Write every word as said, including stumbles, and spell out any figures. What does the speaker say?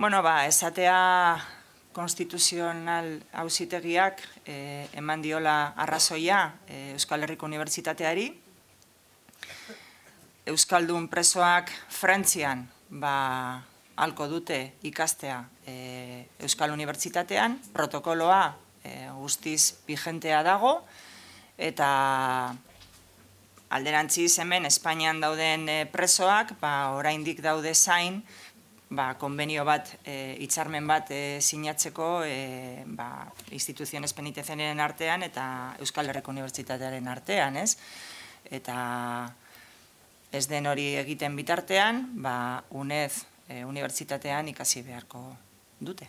Bueno, ba, esatea konstituzional auzitegiak eh, eman diola arrazoia eh, Euskal Herriko Unibertsitateari. Euskaldun presoak Frantzian ba, halko dute ikastea eh, Euskal Unibertsitatean, protokoloa eh, guztiz vigentea dago, eta alderantziz hemen Espainian dauden eh, presoak ba, oraindik daude zain, ba, konbenio bat, e, hitzarmen bat e, sinatzeko e, ba, instituziones penitenciarien artean eta Euskal Herriko Unibertsitatearen artean, ez? Eta ez den hori egiten bitartean, ba, UNED e, unibertsitatean ikasi beharko dute.